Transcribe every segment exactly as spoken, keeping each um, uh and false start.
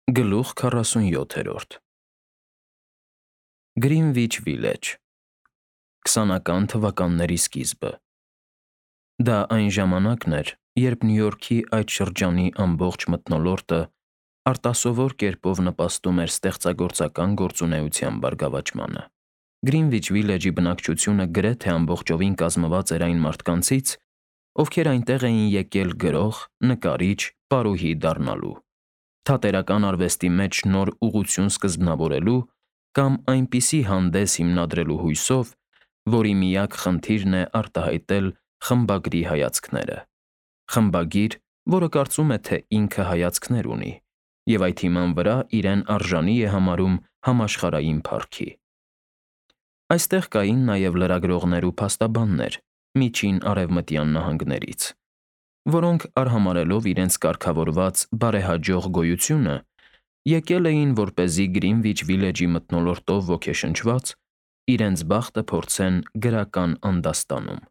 Գլուխ քառասունյոթերորդ Գրինվիչ Վիլեջ քսանական թվականների սկիզբը Դա այն ժամանակն էր, երբ Նյու Յորքի այդ շրջանի ամբողջ մթնոլորտը արտասովոր կերպով նպաստում էր ստեղծագործական գործունեության բարգավաճմանը։ Գրինվիչ Վիլեջի բնակչությունը գրեթե ամբողջովին կազմված էր այն մարդկանցից, ովքեր այնտեղ էին եկել գրող, նկարիչ, պարուհի դառնալու, թատերական արվեստի մեջ նոր ուղղություն սկզբնավորելու կամ այնպիսի հանդես հիմնադրելու հույսով, որի միակ խնդիրն է արտահայտել խմբագրի հայացքները, խմբագիր, որը կարծում է, թե ինքը հայացքներ ունի, և այդ հիման վրա իրեն արժանի է համարում համաշխարհային փառքի։ Այստեղ կային նաև լրագրողներ ու փաստաբաններ Միջին Արևմտյան նահանգներից, որոնք արհամարհելով իրենց կարգավորված բարեհաջող գոյությունը, եկել էին, որպեսզի Գրինվիչ Վիլեջի մթնոլորտով ոգեշնչված, իրենց բախտը փորձեն գրական անդաստանում։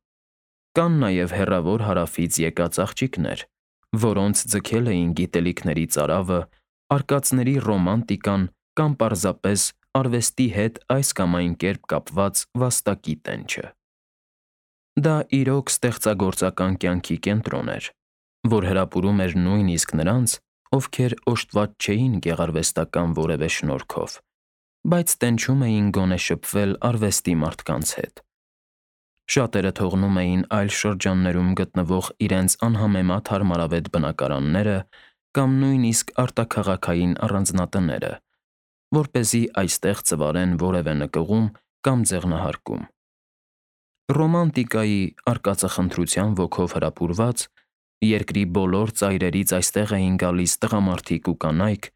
Կան նաև հեռավոր հարավից եկած աղջիկներ, որոնց ձգել էին գիտելիքների ծարավը, արկածների ռոմանտիկան կամ պարզապես արվեստի հետ այս կամ այն կերպ կապված վաստակի տենչը։ Դա իրոք ստեղծագործական կյանքի կենտրոն էր, որ հրապուրում էր նույնիսկ նրանց, ովքեր օժտված չէին գեղարվեստական որևէ շնորհքով, բայց տենչում էին գոնե շփվել արվեստի մարդկանց հետ։ Շատերը թողնում էին այլ շրջաններում գտնվող իրենց անհամեմատ հարմարավետ բնակարանները կամ նույնիսկ արտաքաղաքային առանձնատները, որպեսզի այստեղ ծվարեն որևէ նկուղում կամ ձեղնահարկում։ Ռոմանտիկայի, արկածախնդրության ոգով հրապուրված, երկրի բոլոր ծայրերից այստեղ էին գալիս տղամարդիկ ու կանայք,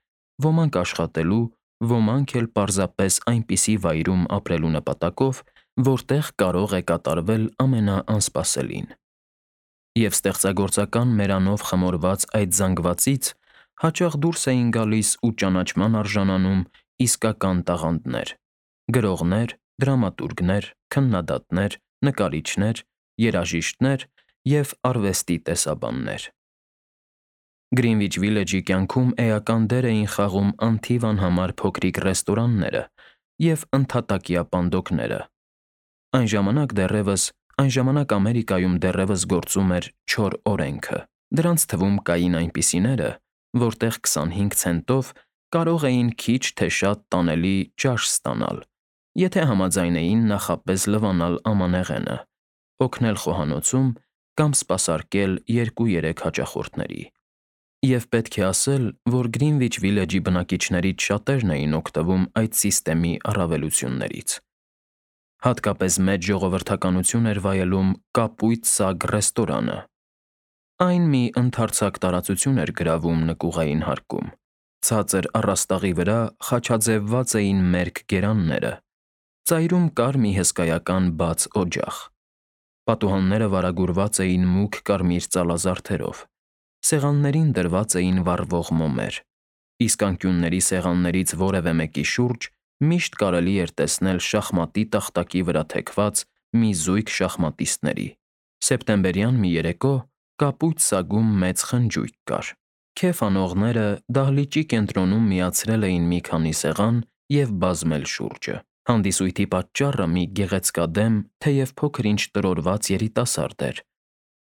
ոմանք աշխատելու, ոմանք էլ պարզապես այնպիսի վայրում ապրելու նպատակով, որտեղ կարող է կատարվել ամենաանսպասելին։ Եվ ստեղծագործական մերանով խմորված այդ զանգվածից հաճախ դուրս էին գալիս ու ճանաչման արժանանում իսկական տաղանդներ՝ գրողներ, դրամատուրգներ, քննադատներ, նկարիչներ, երաժիշտներ և արվեստի տեսաբաններ։ Գրինվիչ Վիլեջի կյանքում էական դեր էին խաղում անթիվ անհամար փոքրիկ ռեստորանները և ընդհատակյա պանդոկները։ Այն ժամանակ դեռևս, այն ժամանակ Ամերիկայում դեռևս գործում էր չոր օրենքը։ Դրանց թվում կային այնպիսիները, որտեղ քսանհինգ ցենտով կարող էին քիչ թե շատ տանելի ճաշ ստանալ, եթե համաձայն էին նախապես լվանալ ամանեղենը, օգնել խոհանոցում կամ սպասարկել երկու֊երեք հաճախորդների։ Եվ պետք է ասել, որ Գրինվիչ Վիլեջի բնակիչներից շատերն էին օգտվում այդ սիստեմի առավելություններից։ Հատկապես մեծ ժողովրդականություն էր վայելում Կապույտ Սագ ռեստորանը։ Այն մի ընդարձակ տարածություն էր գրավում նկուղային հարկում։ Ցածր առաստաղի վրա խաչաձևված էին մերկ գերանները, ծայրում կար մի հսկայական բաց օջախ։ Պատուհանները վարագուրված էին մուգ կարմիր ծալազարդերով, սեղաններին դրված էին վառվող մոմեր, իսկ անկյունների սեղաններից որևէ մեկի շուրջ միշտ կարելի էր տեսնել շախմատի տախտակի վրա թեքված մի զույգ շախմատիստների։ Սեպտեմբերյան մի երեկո Կապույտ Սագում մեծ խնջույք կար։ Քեֆ անողները դահլիճի կենտրոնում միացրել էին մի քանի սեղան և բազմել շուրջը։ Հանդիսույթի պատճառը մի գեղեցկադեմ, թեև փոքր-ինչ տրորված երիտասարդ էր,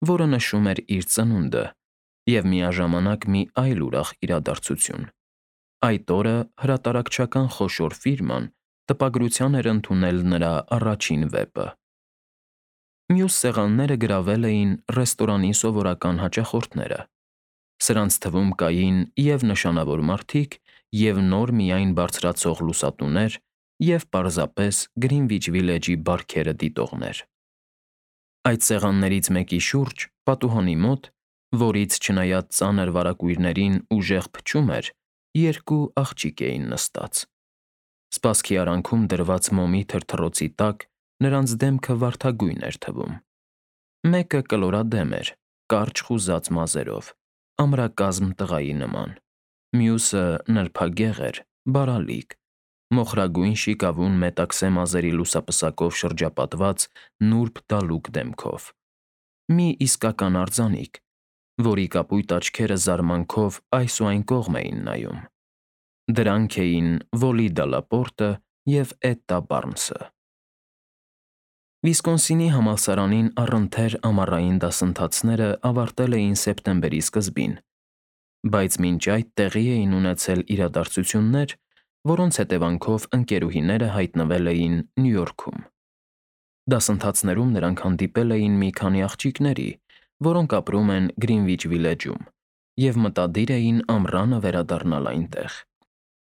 որը նշում էր իր ծնունդը և միաժամանակ մի այլ ուրախ իրադարձություն։ Այդ օրը հրատարակչական խոշոր ֆիրման տպագրության էր ընդունել նրա առաջին վեպը։ Մյուս սեղանները գրավել էին ռեստորանի սովորական հաճախորդները։ Սրանց թվում կային և նշանավոր մարդիկ, և նոր միայն բարձրացող լուսատուներ, և պարզապես Գրինվիչ Վիլեջի բարքերը դիտողներ։ Այդ սեղաններից մեկի շուրջ, պատուհանի մոտ, որից, չնայած ծանր վարագույրներին, ուժեղ փչում էր, երկու աղջիկ էին նստած։ Սպասքի արանքում դրված մոմի թրթռոցի տակ նրանց դեմքը վարդագույն էր թվում։ Մեկը կլորադեմ էր, կարճ խուզած մազերով, ամրակազմ տղայի նման, մյուսը նրբագեղ էր, բարալիկ, մոխրագույն շիկավուն մետաքսե մազերի լուսապսակով շրջապատված նուրբ դալուկ դեմքով։ Մի իսկական արձանիկ, որի կապույտ աչքերը զարմանքով այս ու այն կողմ էին նայում։ Դրանք էին Վոլիդա Լապորտը և Էտտա Բարնսը։ Վիսկոնսինի համալսարանին առընթեր ամառային դասընթացները ավարտել էին սեպտեմբերի սկզբին, բայց մինչ այդ տեղի էին ունեցել իրադարձություններ, որոնց հետևանքով ընկերուհիները հայտնվել էին Նյու Յորքում։ Դասընթացներում նրանք հանդիպել էին մի քանի աղջիկների, որոնք ապրում են Գրինվիչ Վիլեջում, և մտադիր էին ամռանը վերադառնալ այնտեղ։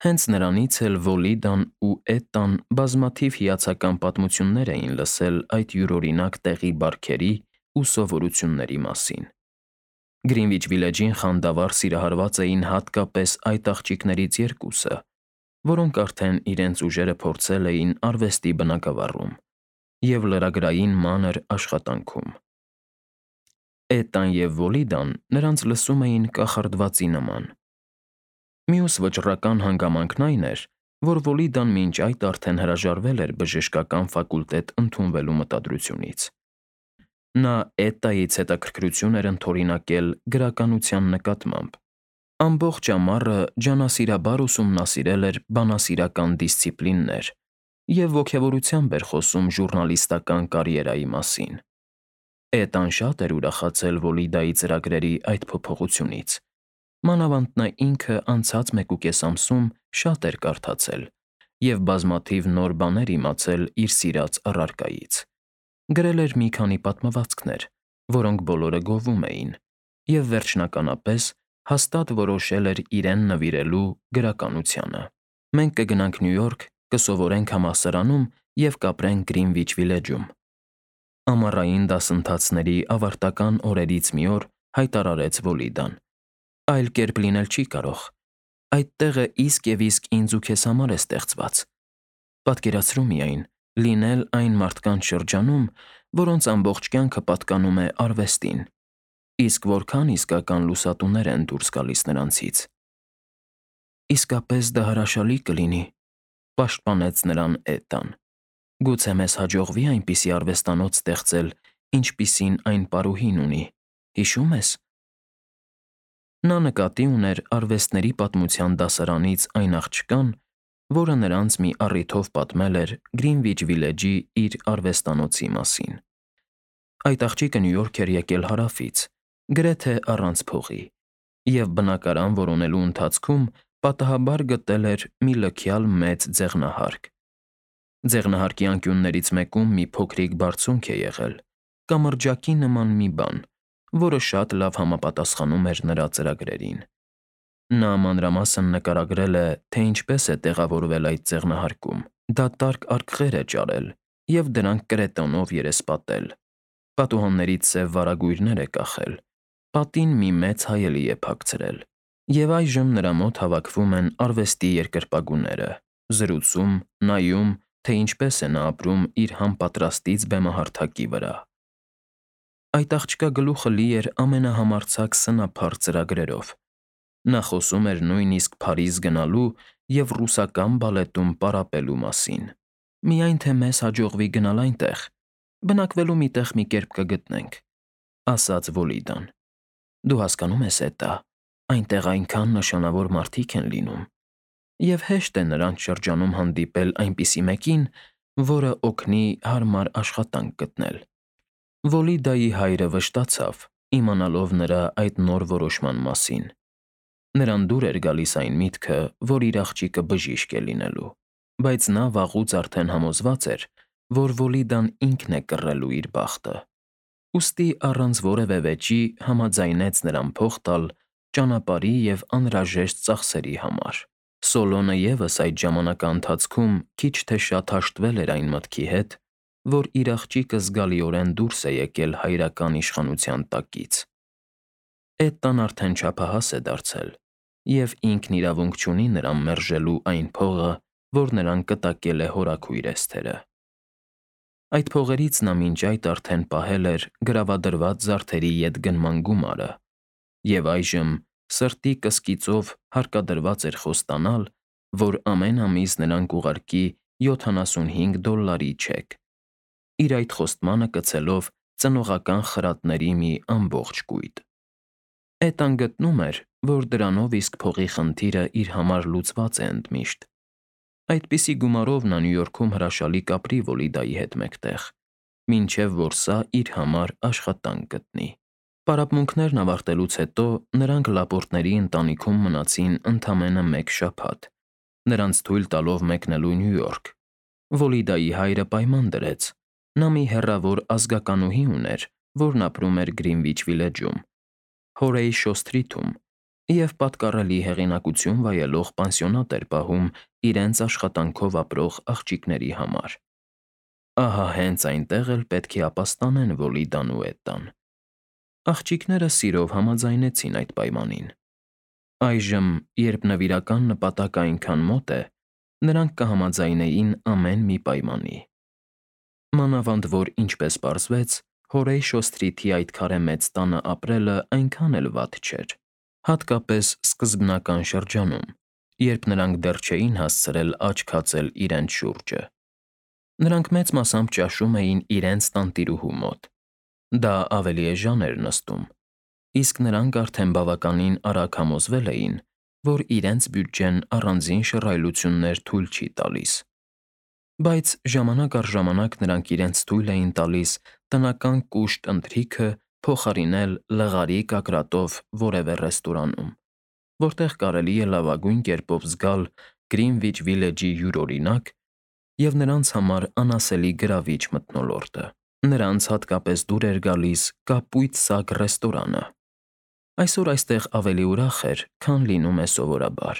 Հենց նրանից էլ Վոլիդան ու Էտտան բազմաթիվ հիացական պատմություններ էին լսել այդ յուրօրինակ տեղի բարքերի ու սովորությունների մասին։ Գրինվիչ Վիլեջին խանդավառ սիրահարված էին հատկապես այդ աղջիկներից երկուսը, որոնք արդեն իրենց ուժերը փորձել էին արվեստի բնագավառում և լրագրային մանր աշխատանքում։ Էտտան և Վոլիդան նրանց լսում էին կախարդվածի նման։ Մյուս վճռական հանգամանքն այն էր, որ Վոլիդան մինչ այդ արդեն հրաժարվել էր բժշկական ֆակուլտետ ընդունվելու մտադրությունից։ Նա Էտտայից հետաքրքրություն էր ընդօրինակել գրականության նկատմամբ։ Ամբողջ ամառը ջանասիրաբար ուսումնասիրել էր բանասիրական դիսցիպլիններ և ոգևորությամբ էր խոսում ժուռնալիստական կարիերայի մասին։ Էտտան շատ էր ուրախացել Վոլիդայի ծրագրերի այդ փոփոխությունից, մանավանդ նա ինքը անցած մեկուկես ամսում շատ էր կարդացել և բազմաթիվ նոր բաներ իմացել իր սիրած առարկայից։ Գրել էր մի քանի պատմվածքներ, որոնք բոլորը գովում էին, և վերջնականապես հաստատ որոշել էր իրեն նվիրելու գրականությանը։ «Մենք կգնանք Նյու Յորք, կսովորենք համալսարանում և կապրենք Գրինվիչ Վիլեջում», ամառային դասընթացների ավարտական օրերից մի օր հայտարարեց Վոլիդան։ «Այլ կերպ լինել չի կարող։ Այդ տեղը իսկ և իսկ ինձ ու քեզ համար է ստեղծված։ Պատկերացրու միայն՝ լինել այն մարդկանց շրջանում, որոնց ամբողջ կյանքը պատկանում է արվեստին, իսկ որքան իսկական լուսատուներ են դուրս գալիս նրանցից»։ «Իսկապես դա հրաշալի կլինի», ֊ պաշտպանեց նրան Էտտան։ «Գուցե մեզ հաջողվի այնպիսի արվեստանոց ստեղծել, ինչպիսին այն պարուհին ունի, հիշո՞ւմ ես»։ Նա նկատի ուներ արվեստների պատմության դասարանից այն աղջկան, որը նրանց մի առիթով պատմել էր Գրինվիչ Վիլեջի իր արվեստանոցի մասին։ Այդ աղջիկը Նյու Յորք էր եկել Հարավից, գրեթե առանց փողի, և բնակարան որոնելու ընթացքում պատահաբար գտել էր մի լքյալ մեծ ձեղնահարկ։ Ձեղնահարկի անկյուններից մեկում մի փոքրիկ բարձունք է եղել, կամրջակի նման մի բան, որը շատ լավ համապատասխանում էր նրա ծրագրերին։ Նա մանրամասն նկարագրել է, թե ինչպես է տեղավորվել այդ ձեղնահարկում, դատարկ արկղեր է ճարել և դրանք կրետոնով երեսպատել, պատուհաններից սև վարագույրներ է կախել, պատին մի մեծ հայելի է փակցրել, և այժմ նրա մոտ հավաքվում են արվեստի երկրպագուները, զրուցում, նայում, թե ինչպես է նա ապրում իր համապատրաստից բեմահարթակի վրա։ Այդ աղջկա գլուխը լի էր ամենահամարձակ սնափառ ծրագրերով։ Նա խոսում էր նույնիսկ Փարիզ գնալու և ռուսական բալետում պարապելու մասին։ «Միայն թե մեզ հաջողվի գնալ այնտեղ, բնակվելու մի տեղ մի կերպ կգտնենք», ֊ ասաց Վոլիդան։ «Դու հասկանո՞ւմ ես, Էտտա, այնտեղ այնքան նշանավոր մարդիկ են լինում, և հեշտ է նրանց շրջանում հանդիպել այնպիսի մեկին, որը օգնի հարմար աշխատանք գտնել»։ Վոլիդայի հայրը վշտացավ, իմանալով նրա այդ նոր որոշման մասին։ Նրան դուր էր գալիս այն միտքը, որ իր աղջիկը բժիշկ է լինելու, բայց նա վաղուց արդեն համոզված էր, որ Վոլիդան ինքն է կռելու իր բախտը։ Ուստի առանց որևէ վեճի համաձայնեց նրան փող տալ ճանապարհի և անհրաժեշտ ծախսերի համար։ Սոլոնը ևս այդ ժամանակաընթացքում քիչ թե շատ հաշտվել էր այն մտքի հետ, որ իր աղջիկը զգալիորեն դուրս է եկել հայրական իշխանության տակից։ Էտտան արդեն չափահաս է դարձել, և ինքն իրավունք չունի նրան մերժելու այն փողը, որ նրան կտակել է հորաքույր Էսթերը։ Այդ փողերից նա մինչ այդ արդեն պահել էր գրավադրված զարդերի ետգնման գումարը, և այժմ սրտի կսկիծով հարկադրված էր խոստանալ, որ ամեն ամիս նրան կուղարկի յոթանասունհինգ դոլլարի չեք, իր այդ խոստմանը կցելով ծնողական խրատների մի ամբողջ կույտ։ Էտտան գտնում էր, որ դրանով իսկ փողի խնդիրը իր համար լուծված է ընդմիշտ։ Այդպիսի գումարով նա Նյու Յորքում հրաշալի կապրի Վոլիդայի հետ մեկտեղ, մինչև որ սա իր համար աշխատանք գտնի։ Պարապմունքներն ավարտելուց հետո նրանք Լապորտների ընտանիքում մնացին ընդամենը մեկ շաբաթ, նրանց թույլ տալով մեկնելու Նյու Յորք։ Վոլիդայի հայրը պայման դրեց. նա մի հեռավոր ազգականուհի ուներ, որն ապրում էր Գրինվիչ Վիլեջում, Հորեյշո Սթրիթում, և պատկառելի հեղինակություն վայելող պանսիոնատ էր պահում իրենց աշխատանքով ապրող աղջիկների համար։ Ահա հենց այնտեղ էլ պետք է ապաստանեն Վոլիդան ու Էտան։ Աղջիկները սիրով համաձայնեցին այդ պայմանին։ Այժմ, երբ նվիրական նպատակը այնքան մոտ է, նրանք կհամաձայնեին ամեն մի պայմանի։ Մանավանդ որ, ինչպես պարզվեց, Հորեյշո Սթրիթի այդ քարե մեծ տանը ապրելը այնքան էլ վատ չէր, հատկապես սկզբնական շրջանում, երբ նրանք դեռ չէին հասցրել աչք հացել իրենց շուրջը։ Նրանք մեծ մասամբ ճաշում էին իրենց տանտիրուհու մոտ։ Դա ավելի էժան էր նստում, իսկ նրանք արդեն բավականին արագ համոզվել էին, որ իրենց բյուջեն առանձին շռայլություններ թույլ չի տալիս։ Բայց ժամանակ առ ժամանակ նրանք իրենց թույլ էին տալիս տնական կուշտ ընթրիքը փոխարինել լղարի կակրատով որևէ ռեստորանում, որտեղ կարելի է լավագույն կերպով զգալ Գրինվիչ Վիլեջի յուրօրինակ և նրանց համար անասելի գրավիչ մթնոլորտը։ Նրանց հատկապես դուր էր գալիս Կապույտ Սակ ռեստորանը։ Այսօր այստեղ ավելի ուրախ էր, քան լինում է սովորաբար։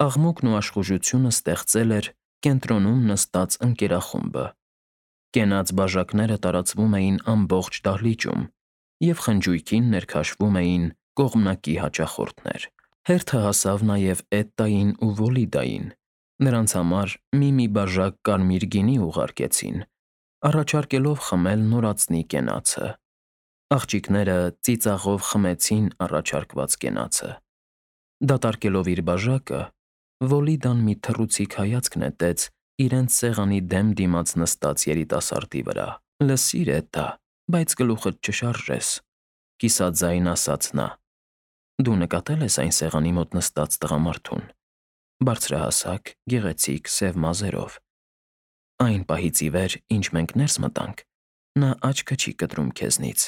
Աղմուկն ու աշխուժությունը ստեղծել էր կենտրոնում նստած ընկերախումբը։ Կենաց բաժակները տարածվում էին ամբողջ դահլիճում, և խնջույքին ներքաշվում էին կողմնակի հաճախորդներ։ Հերթը հասավ նաև Էտտային ու Վոլիդային։ Նրանց համար մի-մի բաժակ կարմիր գինի ուղարկեցին, առաջարկելով խմել նորածնի կենացը։ Աղջիկները ծիծաղով խմեցին առաջարկված կենացը։ Դատարկելով իր բաժակը, Վոլիդան մի թռուցիկ հայացք նետեց իրենց սեղանի դեմ դիմաց նստած երիտասարդի վրա։ «Լսիր, Էտա, բայց գլուխդ չշարժես», կիսաձայն ասաց նա։ «Դու նկատել ես այն սեղանի մոտ նստած տղամարդուն՝ բարձրահասակ, գեղեցիկ, սև մազերով։ Այն պահից ի վեր, ինչ մենք ներս մտանք, նա աչքը չի կտրում քեզնից»։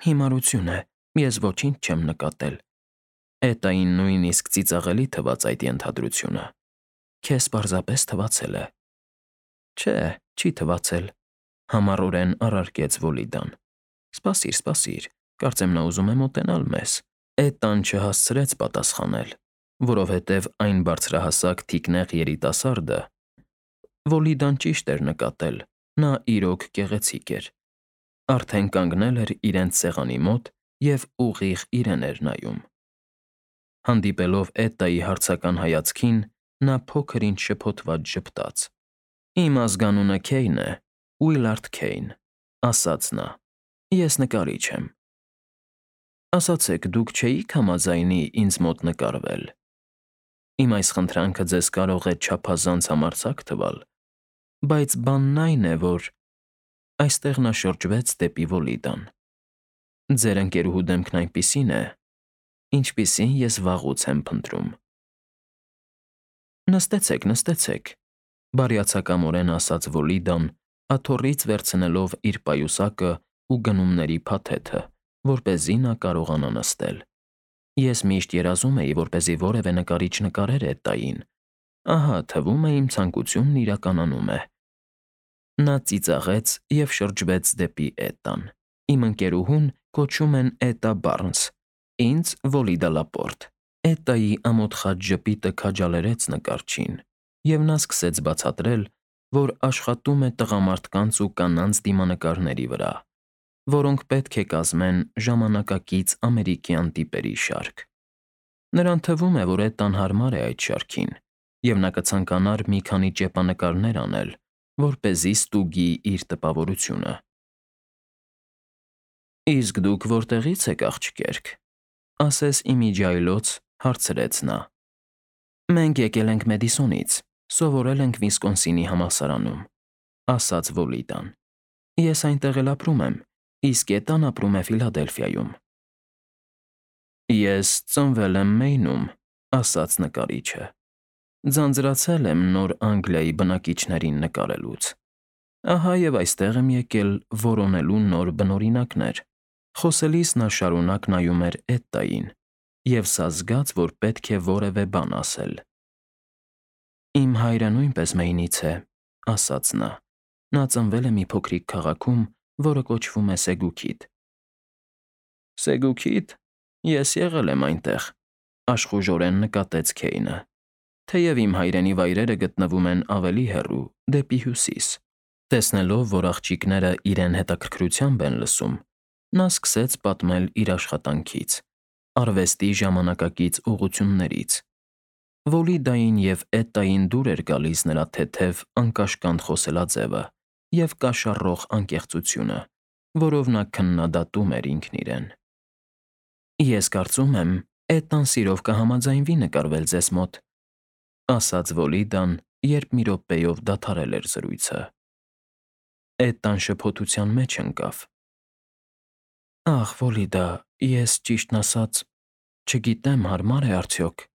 «Հիմարություն է, ես ոչինչ չեմ նկատել»։ Էտային նույնիսկ ծիծաղելի թվաց այդ ենթադրությունը։ «Քեզ պարզապես թվացել է»։ «Չէ, չի թվացել», համառորեն առարկեց Վոլիդան։ «Սպասիր, սպասիր, կարծեմ նա ուզում է մոտենալ մեզ»։ Էտան չհասցրեց պատասխանել, որովհետև այն բարձրահասակ թիկնեղ երիտասարդը… Վոլիդան ճիշտ էր նկատել, նա իրոք գեղեցիկ էր։ Արդեն կանգնել էր իրենց սեղանի մոտ և ուղիղ իրեն էր նայում։ Հանդիպելով Էտայի հարցական հայացքին, նա փոքր-ինչ շփոթված ժպտաց։ «Իմ ազգանունը Քեյն է, Ուիլարդ Քեյն», ասաց նա։ «Ես նկարիչ եմ»։ Ասացեք, դուք չէի՞ք համաձայնի ինձ մոտ նկարվել։ Իմ այս խնդրանքը ձեզ կարող է չափազանց համարձակ թվալ, բայց բանն այն է, որ… Այստեղ նա շրջվեց դեպի Վոլիդան։ «Ձեր ընկերուհու դեմքն այնպիսին է, ինչպիսին ես վաղուց եմ փնտրում»։ «Նստեցեք, նստեցեք», բարյացակամորեն ասաց Վոլիդան, աթոռից վերցնելով իր պայուսակը ու գնումների փաթեթը, որպեսզի նա կարողանա նստել։ «Ես միշտ երազում էի, որպեսզի որևէ նկարիչ նկարեր Էտային։ Ահա, թվում է, իմ ցանկությունն իրականանում է»։ Նա ծիծաղեց և շրջվեց դեպի Էտան։ «Իմ ընկերուհուն կոչում են Էտա Բարնս, ինձ՝ Վոլիդա Լապորտ»։ Էտայի ամոթխած ժպիտը քաջալերեց նկարչին, և նա սկսեց բացատրել, որ աշխատում է տղամարդկանց ու կանանց դիմանկարների վրա, որոնք պետք է կազմեն ժամանակակից ամերիկյան տիպերի շարք։ Նրան թվում է, որ Էտան հարմար է այդ շարքին, և նա կցանկանար մի քանի ճեպանկարներ անել, որպեսզի ստուգի իր տպավորությունը։ «Իսկ դուք որտեղի՞ց եք, աղջկերք», ասես ի միջի այլոց հարցրեց նա։ «Մենք եկել ենք Մեդիսոնից, սովորել ենք Վիսկոնսինի համալսարանում», ասաց Վոլիդան։ «Ես այնտեղ էլ ապրում եմ, իսկ Էտան ապրում է Ֆիլադելֆիայում»։ Ես ծնվել եմ Մեյնում, ասաց նկարիչը։ Ձանձրացել եմ Նոր Անգլիայի բնակիչներին նկարելուց։ Ահա եւ այստեղ եմ եկել որոնելու նոր բնօրինակներ։ Խոսելիս նա շարունակ նայում էր Էդդային, եւ սա զգաց, որ պետք է որևէ բան ասել։ Իմ հայրը նույնպես Մեյնից է, ասաց նա։ Նա ծնվել է մի փոքրիկ քաղաքում, որը կոչվում է Սեգուքիթ։ Սեգուքիթ։ Ես եղել եմ այնտեղ, աշխուժորեն նկատեց Քեյնը։ Թեև իմ հայրենի վայրերը գտնվում են ավելի հեռու, դեպի հյուսիս։ Տեսնելով, որ աղջիկները իրեն հետաքրքրությամբ են լսում, նա սկսեց պատմել իր աշխատանքից, արվեստի ժամանակակից ուղղություններից։ Վոլիդային և Էդդային դուր էր գալիս նրա թեթև, անկաշկանդ խոսելաձևը և կաշառող անկեղծությունը, որով նա քննադատում էր ինքն իրեն։ Ես կարծում եմ, Էդդան սիրով կհամաձայնվի նկարվել ձեզ մոտ, ասաց Վոլիդան, երբ մի րոպեով դադարել էր զրույցը։ Էդդան շփոթության մեջ ընկավ։ Ախ, Վոլիդա, ես ճիշտն ասած, չգիտեմ հարմար է արդյոք։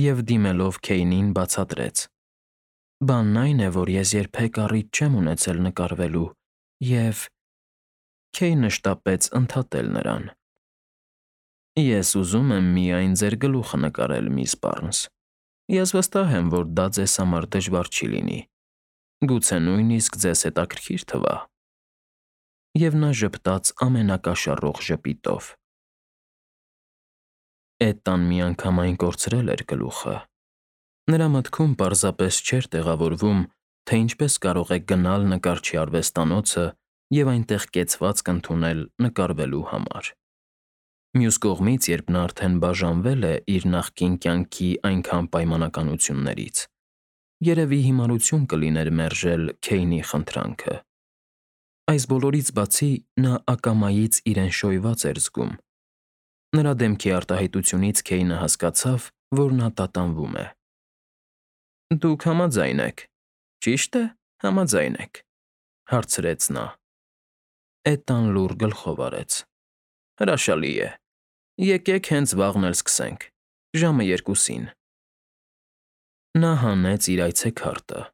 Եվ դիմելով Քեյնին բացատրեց. Բանն այն է, որ ես երբեք առիթ չեմ ունեցել նկարվելու, և… Քեյնը շտապեց ընդհատել նրան. Ես ուզում եմ միայն ձեր գլուխը նկարել, միս Բարնս։ Ես վստահ եմ, որ դա ձեզ համար դժվար չի լինի։ Գուցե նույնիսկ ձեզ հետաքրքիր թվա։ Եվ նա ժպտաց ամենակաշառող ժպիտով։ Էդդան միանգամայն կորցրել էր գլուխը։ Նրա մտքում պարզապես չէր տեղավորվում, թե ինչպես կարող է գնալ նկարչի արվեստանոցը և այնտեղ կեցվածք ընդունել նկարվելու համար։ Մյուս կողմից, երբ նա արդեն բաժանվել է իր նախկին կյանքի այնքան պայմանականություններից, երևի հիմարություն կլիներ մերժել Քեյնի խնդրանքը։ Այս բոլորից բացի, նա ակամայից իրեն շոյված էր զգում։ Նրա դեմքի արտահայտությունից Քեյնը հասկացավ, որ նա տատանվում է։ Դուք համաձայն եք, ճի՞շտ է, համաձայն եք, հարցրեց նա։ Էդդան լուռ գլխով արեց։ Հրաշալի է։ Եկեք հենց վաղն էլ սկսենք, ժամը երկուսին։ Նա հանեց իր այցեքարտը,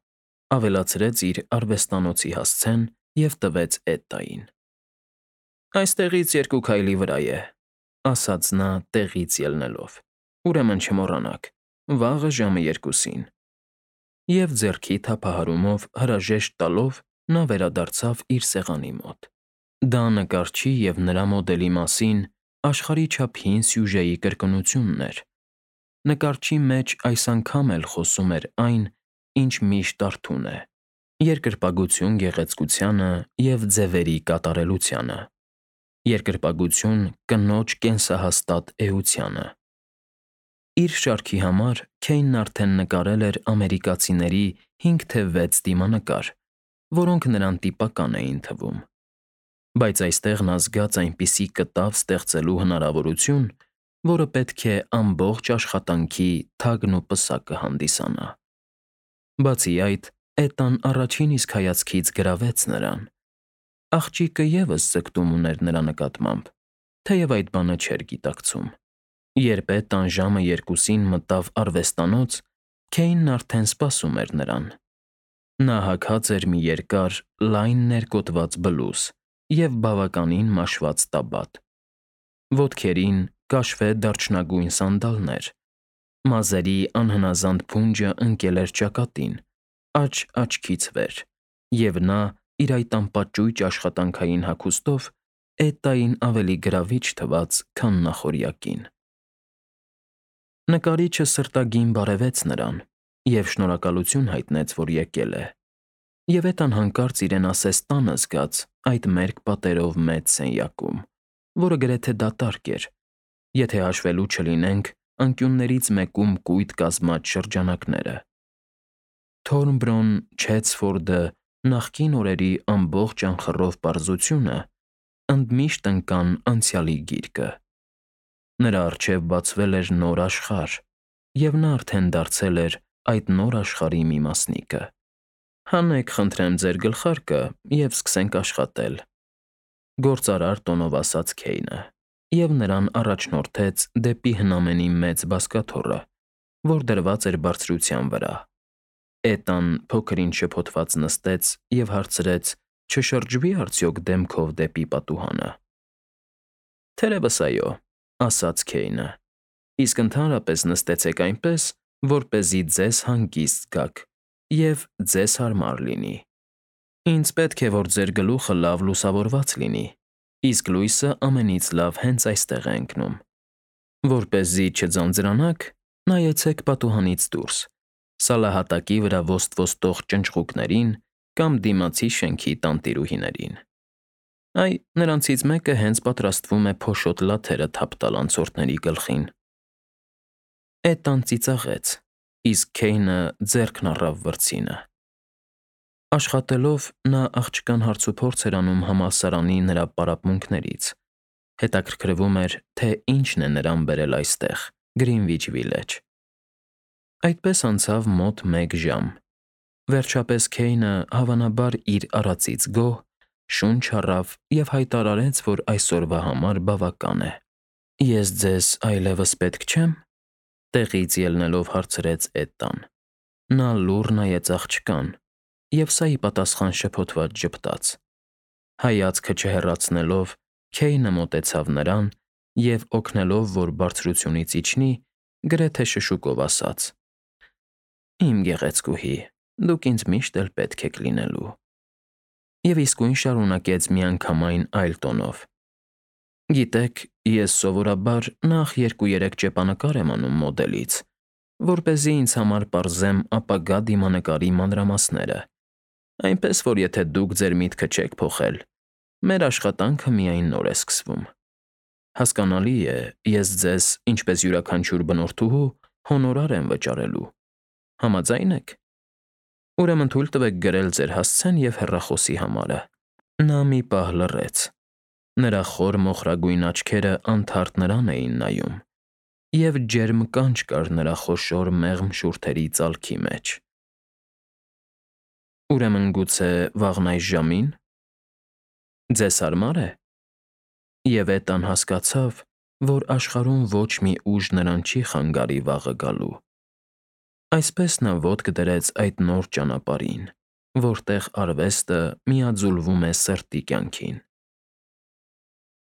ավելացրեց իր արվեստանոցի հասցեն և տվեց Էդդային։ Այստեղից երկու քայլի վրա է, ասաց նա տեղից ելնելով։ Ուրեմն չմոռանաք, վաղը ժամը երկուսին։ Եվ ձեռքի թափահարումով հրաժեշտ տալով նա վերադարձավ իր սեղանի մոտ։ Դա նկարչի և նրա մոդելի մասին աշխարհի չափ հին սյուժեի կրկնությունն էր։ Նկարչի մեջ այս անգամ էլ խոսում էր այն, ինչ միշտ արթուն է. երկրպագություն գեղեցկությանը և ձևերի կատարելությանը, երկրպագություն կնոջ կենսահաստատ էությանը։ Իր շարքի համար Քեյնն արդեն նկարել էր ամերիկացիների հինգ թե վեց դիմանկար, որոնք նրան տիպական էին թվում։ Բայց այստեղ նա զգաց այնպիսի կտավ ստեղծելու հնարավորություն, որը պետք է ամբողջ աշխատանքի թագն ու պսակը հանդիսանա։ Բացի այդ, Էդդան առաջին իսկ հայացքից գրավեց նրան։ Աղջիկը ևս ձգտում ուներ նրա նկատմամբ, թեև այդ բանը չէր գիտակցում։ Երբ Էդդան ժամը երկուսին մտավ արվեստանոց, Քեյնն արդեն սպասում էր նրան։ Նա հագած էր մի երկար, լայն ներկոտված բլուզ և բավականին մաշված տաբատ։ Ոտքերին կաշվե դարչնագույն սանդալներ։ Մազերի անհնազանդ փունջը ընկել էր ճակատին, աջ աչքից վեր, և նա իր այդ անպաճույճ աշխատանքային հագուստով Էդդային ավելի գրավիչ թվաց, քան նախօրյակին։ Նկարիչը սրտագին բարևեց նրան և շնորհակալություն հայտնեց, որ եկել է, և Էդդան հանկարծ իրեն ասես տանը զգաց այդ մերկ պատերով մեծ սենյակում, որը գրեթե դատարկ էր, եթե հաշվելու չլինենք անկյուններից մեկում կույտ կազմած շրջանակները։ Թորնբրոն, Չեցֆորդը, նախկին օրերի ամբողջ անխռով պարզությունը ընդմիշտ ընկան անցյալի գիրկը։ Նրա առջև բացվել էր նոր աշխարհ, և նա արդեն դարձել էր այդ նոր աշխարհի մի մասնիկը։ Հանեք, խնդրեմ, ձեր գլխարկը և սկսենք աշխատել, գործարար տոնով ասաց Քեյնը։ և նրան առաջնորդեց դեպի հնամենի մեծ բազկաթոռը, որ դրված էր բարձրության վրա։ Էտան փոքր-ինչ շփոթված նստեց և հարցրեց. «Չշրջվի՞ արդյոք դեմքով դեպի պատուհանը»։ «Թերևս այո», ասաց Քեյնը, «իսկ ընդհանրապես նստեցեք այնպես, որպեսզի ձեզ հանգիստ զգաք և ձեզ հարմար լինի։ Ինձ պետք է, որ ձեր գլուխը լավ լուսավորված լինի, իսկ լույսը ամենից լավ հենց այստեղ է ընկնում։ Որպեսզի չձանձրանաք, նայեցեք պատուհանից դուրս, սալահատակի վրա ոստ֊ոստող ճնճղուկներին կամ դիմացի շենքի տանտիրուհիներին։ Այ, նրանցից մեկը հենց պատրաստվում է փոշոտ լաթերը թափ տալ անցորդների գլխին»։ Էտան ծիծաղեց, իսկ Քեյնը ձեռքն առավ վրձինը։ Աշխատելով՝ նա աղջկան հարցուփորձ էր անում համալսարանի նրա պարապմունքներից, հետաքրքրվում էր, թե ինչն է նրան բերել այստեղ, Գրինվիչ Վիլեջ։ Այդպես անցավ մոտ մեկ ժամ։ Վերջապես Քեյնը, հավանաբար իր արածից գոհ, շունչ առավ և հայտարարեց, որ այսօրվա համար բավական է։ «Ես ձեզ այլևս պետք չե՞մ»։ տեղից ելնելով հարցրեց Էտան։ Նա լուռ նայեց աղջկան և սա ի պատասխան շփոթված ժպտաց։ Հայացքը չհեռացնելով՝ Քեյնը մոտեցավ նրան և, օգնելով, որ բարձրությունից իջնի, գրեթե շշուկով ասաց. «Իմ գեղեցկուհի, դուք ինձ միշտ էլ պետք եք լինելու»։ Եվ իսկույն շարունակեց միանգամայն այլ տոնով. «Գիտեք, ես սովորաբար նախ երկու֊երեք ճեպանկար եմ անում մոդելից, որպեսզի ինձ համար պարզեմ ապագա դիմանկարի մանրամասները, այնպես որ եթե դուք ձեր միտքը չեք փոխել, մեր աշխատանքը միայն նոր է սկսվում։ Հասկանալի է, ես ձեզ, ինչպես յուրաքանչյուր բնորդուհու, հոնորար եմ վճարելու։ Համաձա՞յն եք։ Ուրեմն թույլ տվեք գրել ձեր հասցեն և հեռախոսի համարը»։ Նա մի պահ լռեց։ Նրա խոր մոխրագույն աչքերը անթարթ նրան էին նայում, և ջերմ կանչ կար նրա խոշոր մեղմ շուրթերի ծալքի մեջ։ «Ուրեմն գուցե վաղն այս ժամի՞ն։ Ձեզ հարմա՞ր է»։ Եվ Էտան հասկացավ, որ աշխարհում ոչ մի ուժ նրան չի խանգարի վաղը գալու։ Այսպես նա ոտք դրեց այդ նոր ճանապարհին, որտեղ արվեստը միաձուլվում է սրտի կյանքին։